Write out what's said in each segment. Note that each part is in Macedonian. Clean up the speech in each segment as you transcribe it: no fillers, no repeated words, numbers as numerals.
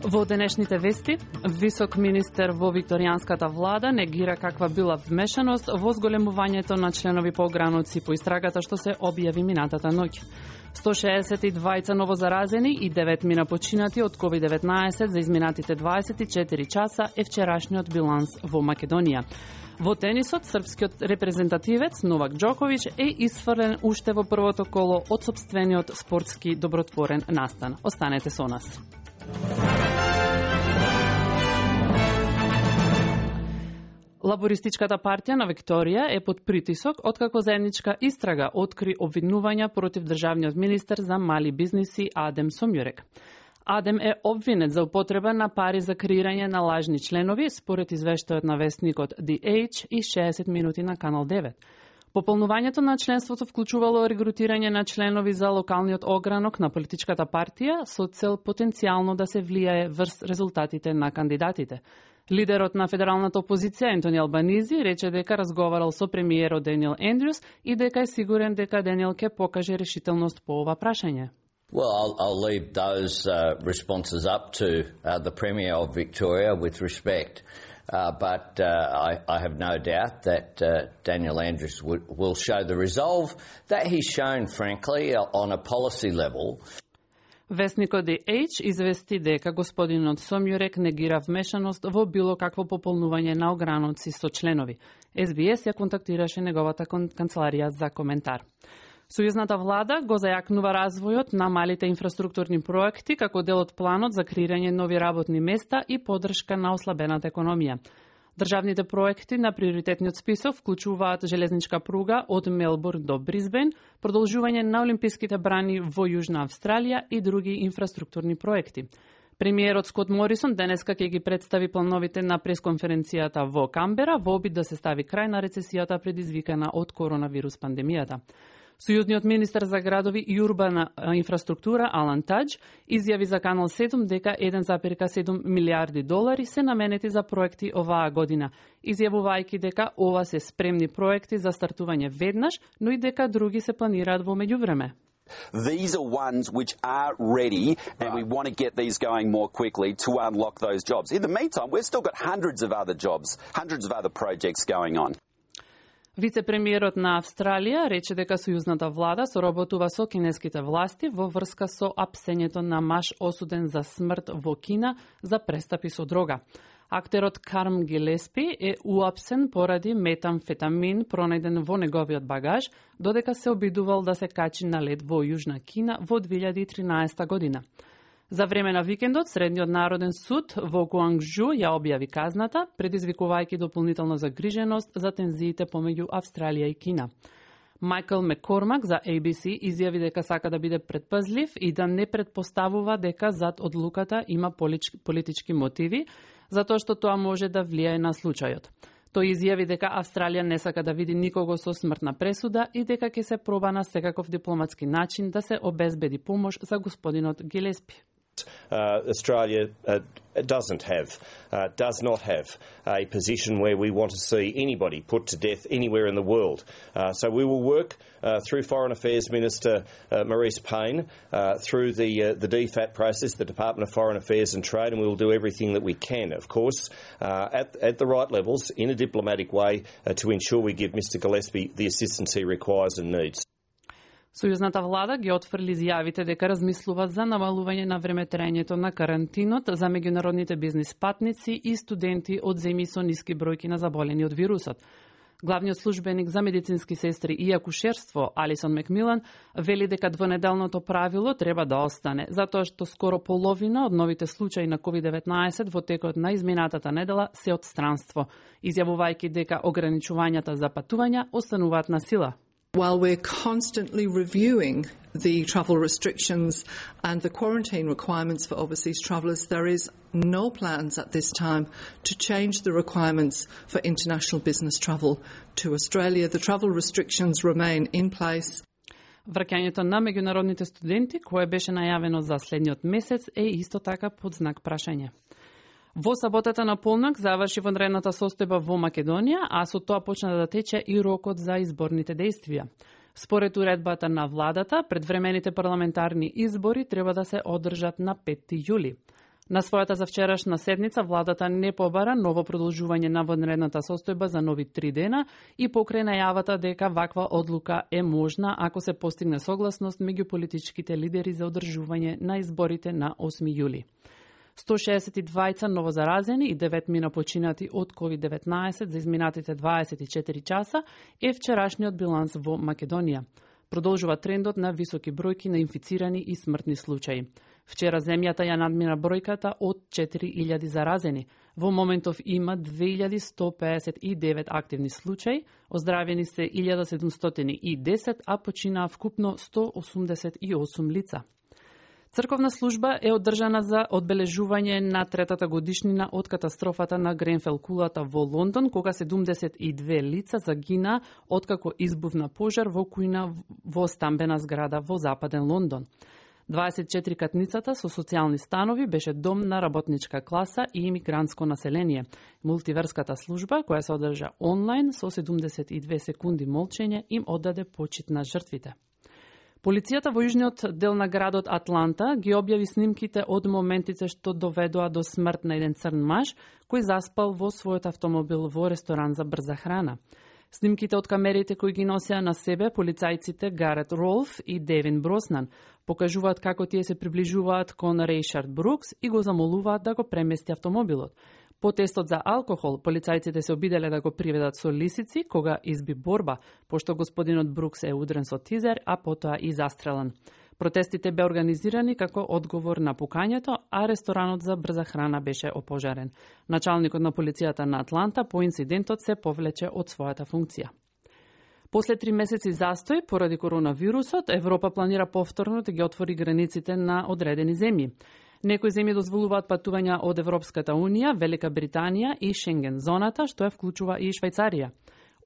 Во денешните вести, висок министер во викторијанската влада негира каква била вмешаност во зголемувањето на членови по ограноци по истрагата што се објави минатата ноќ. 162 новозаразени и 9 мина починати од COVID-19 за изминатите 24 часа е вчерашниот биланс во Македонија. Во тенисот, српскиот репрезентативец Новак Џоковиќ е исфрлен уште во првото коло од сопствениот спортски добротворен настан. Останете со нас. Лабористичката партија на Викторија е под притисок откако заедничка истрага откри обвинувања против државниот министер за мали бизниси Адем Сомјурек. Адем е обвинет за употреба на пари за креирање на лажни членови, според извештајот на вестникот The Age и 60 минути на Канал 9. Пополнувањето на членството вклучувало регрутирање на членови за локалниот огранок на политичката партија со цел потенцијално да се влијае врз резултатите на кандидатите. Лидерот на федералната опозиција Ентони Албанизи рече дека разговарал со премиерот Даниел Ендрюс и дека е сигурен дека Даниел ќе покаже решителност по ова прашање. Well, I'll leave those responses up to the Premier of Victoria with respect. But I have no doubt that Daniel Andrews will show the resolve that he's shown, frankly, on a policy level. Вестникот The Age извести дека господинот Сомјурек негира вмешаност во било какво пополнување на ограноци со членови. СБС ја контактираше неговата канцеларија за коментар. Сојузната влада го зајакнува развојот на малите инфраструктурни проекти како дел од планот за креирање нови работни места и поддршка на ослабената економија. Државните проекти на приоритетниот список вклучуваат железничка пруга од Мелбурн до Брисбен, продолжување на олимписките брани во Јужна Австралија и други инфраструктурни проекти. Премиерот Скот Морисон денеска ќе ги представи плановите на пресконференцијата во Камбера во обид да се стави крај на рецесијата предизвикана од коронавирус пандемијата. Сојузниот министер за градови и урбана инфраструктура Алан Тадж изјави за Канал 7 дека 1,7 милиарди долари се наменети за проекти оваа година, изјавувајќи дека ова се спремни проекти за стартување веднаш, но и дека други се планираат во меѓувреме. These are ones which are ready and we want to get these going more quickly to unlock those jobs. In the meantime, we've still got hundreds of other jobs, hundreds of other projects going on. Вице-премиерот на Австралија рече дека сојузната влада соработува со кинеските власти во врска со апсењето на маж осуден за смрт во Кина за престапи со дрога. Актерот Карм Гилеспи е уапсен поради метамфетамин пронајден во неговиот багаж, додека се обидувал да се качи на лед во Јужна Кина во 2013 година. За време на викендот, Средниот народен суд во Гуангжу ја објави казната, предизвикувајќи дополнителна загриженост за тензиите помеѓу Австралија и Кина. Майкл Маккормак за ABC изјави дека сака да биде предпазлив и да не предпоставува дека зад одлуката има политички мотиви, затоа што тоа може да влијае на случајот. Тој изјави дека Австралија не сака да види никого со смртна пресуда и дека ќе се проба на секаков дипломатски начин да се обезбеди помош за господинот Гилеспи. Australia does not have a position where we want to see anybody put to death anywhere in the world. So we will work through Foreign Affairs Minister Maurice Payne, through the DFAT process, the Department of Foreign Affairs and Trade, and we will do everything that we can, of course, at the right levels, in a diplomatic way, to ensure we give Mr Gillespie the assistance he requires and needs. Сојузната влада ги отфрли изјавите дека размислуваат за намалување на времетраењето на карантинот за меѓународните бизнис патници и студенти од земји со ниски бројки на заболени од вирусот. Главниот службеник за медицински сестри и акушерство Алисон Макмилан вели дека двонеделното правило треба да остане, затоа што скоро половина од новите случаи на COVID-19 во текот на изминатата недела се од странство, изјавувајќи дека ограничувањата за патувања остануваат на сила. While we're constantly reviewing the travel restrictions and the quarantine requirements for overseas travellers, there is no plans at this time to change the requirements for international business travel to Australia. The travel restrictions remain in place. Враќањето на меѓународните студенти, кое беше најавено за следниот месец, е исто така под знак прашање. Во саботата на полнок заврши вонредната состојба во Македонија, а со тоа почна да тече и рокот за изборните дејствија. Според уредбата на владата, предвремените парламентарни избори треба да се одржат на 5 јули. На својата за вчерашна седница, владата не побара ново продолжување на вонредната состојба за нови 3 дена и покрај најавата дека ваква одлука е можна ако се постигне согласност меѓу политичките лидери за одржување на изборите на 8 јули. 162 новозаразени и 9 мина починати од COVID-19 за изминатите 24 часа е вчерашниот биланс во Македонија. Продолжува трендот на високи бројки на инфицирани и смртни случаи. Вчера земјата ја надмина бројката од 4000 заразени. Во моментов има 2159 активни случаи, оздравени се 1710, а починаа вкупно 188 лица. Црковна служба е одржана за одбележување на третата годишнина од катастрофата на Гренфел кулата во Лондон, кога 72 лица загина откако избувна пожар во кујна во стамбена зграда во западен Лондон. 24 катницата со социјални станови беше дом на работничка класа и имигрантско население. Мултиверската служба, која се одржа онлайн со 72 секунди молчење, им оддаде почит на жртвите. Полицијата во јужниот дел на градот Атланта ги објави снимките од моментите што доведоа до смрт на еден црн маж кој заспал во својот автомобил во ресторан за брза храна. Снимките од камерите кои ги носеа на себе полицајците Гарет Ролф и Девин Броснан покажуваат како тие се приближуваат кон Рейшард Брукс и го замолуваат да го премести автомобилот. По тестот за алкохол, полицајците се обиделе да го приведат со лисици кога изби борба, пошто господинот Брукс е удрен со тизер, а потоа и застрелан. Протестите бе организирани како одговор на пукањето, а ресторанот за брза храна беше опожарен. Началникот на полицијата на Атланта по инцидентот се повлече од својата функција. После 3 месеци застој поради коронавирусот, Европа планира повторно да ги отвори границите на одредени земји. Некои земји дозволуваат патувања од Европската Унија, Велика Британија и Шенген зоната, што ја вклучува и Швајцарија.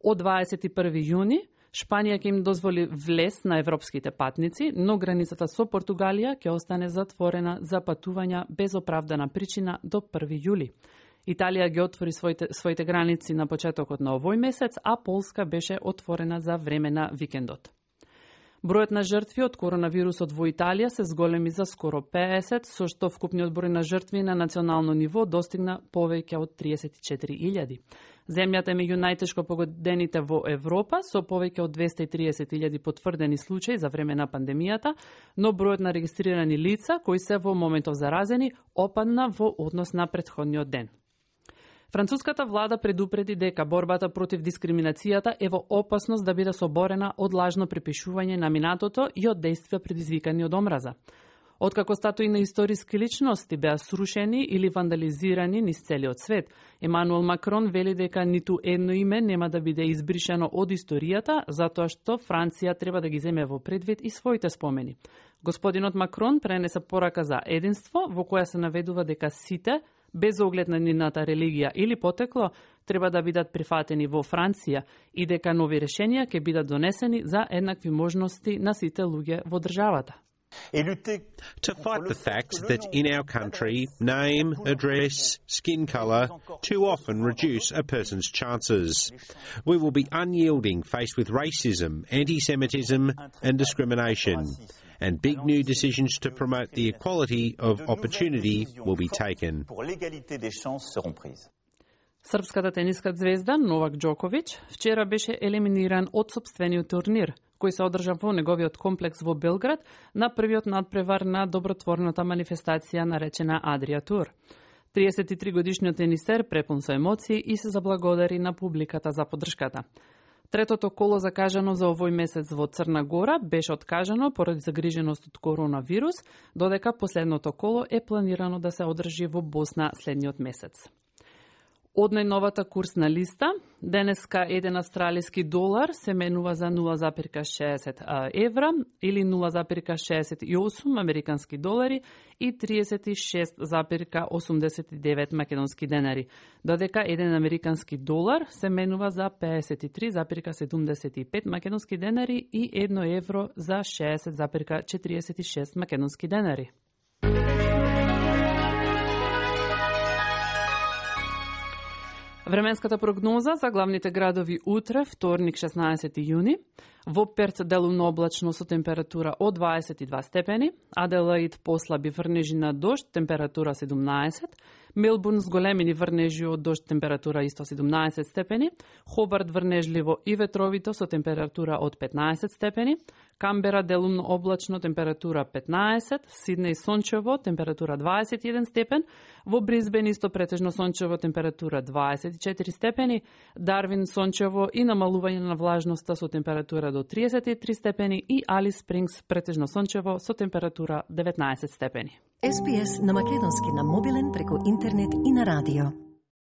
Од 21 јуни Шпанија ќе им дозволи влез на европските патници, но границата со Португалија ќе остане затворена за патувања без оправдана причина до 1 јули. Италија ги отвори своите граници на почетокот на овој месец, а Полска беше отворена за време на викендот. Бројот на жртви од коронавирусот во Италија се зголеми за скоро 50, со што вкупниот број на жртви на национално ниво достигна повеќе од 34.000. Земјата е меѓу најтешко погодените во Европа, со повеќе од 230.000 потврдени случаи за време на пандемијата, но бројот на регистрирани лица кои се во моментов заразени опадна во однос на претходниот ден. Француската влада предупреди дека борбата против дискриминацијата е во опасност да биде соборена од лажно припишување на минатото и од дејствија предизвикани од омраза. Откако статуи на историски личности беа срушени или вандализирани низ целиот свет, Емануел Макрон вели дека ниту едно име нема да биде избришено од историјата, затоа што Франција треба да ги земе во предвид и своите спомени. Господинот Макрон пренесе порака за единство, во која се наведува дека сите, без оглед на нивната религија или потекло, треба да бидат прифатени во Франција и дека нови решенија ќе бидат донесени за еднакви можности на сите луѓе во државата. To fight the fact that in our country, name, address, skin colour too often reduce a person's chances. We will be unyielding faced with racism, anti-Semitism and discrimination. And big new decisions to promote the equality of opportunity will be taken. Српската тениска звезда Новак Џоковиќ вчера беше елиминиран од сопствениот турнир, кој се одржа во неговиот комплекс во Белград на првиот надпревар на добротворната манифестација наречена Адрија Тур. 33 годишниот тенисер препун со емоции и се заблагодари на публиката за поддршката. Третото коло закажано за овој месец во Црна Гора беше откажано поради загриженост од коронавирус, додека последното коло е планирано да се одржи во Босна следниот месец. Од најновата курсна листа, денеска еден австралиски долар се менува за 0,60 евра или 0,68 американски долари и 36,89 македонски денари, додека еден американски долар се менува за 53,75 македонски денари и 1 евро за 60,46 македонски денари. Временската прогноза за главните градови утре, вторник 16 јуни. Во Перт делумно облачно со температура од 22 степени, Аделаид послаби врнежи на дожд, температура 17, Мелбурн с големини врнежи од дожд, температура исто 17 степени, Хобарт врнежливо и ветровито со температура од 15 степени, Камбера делумно облачно, температура 15, Сиднеј сончево, температура 21 степен, во Бризбен исто претежно сончево, температура 24 степени, Дарвин сончево и намалување на влажноста со температура до 33 степени и Алис Спрингс претежно сончево со температура 19 степени. SBS на македонски на мобилен преку интернет и на радио.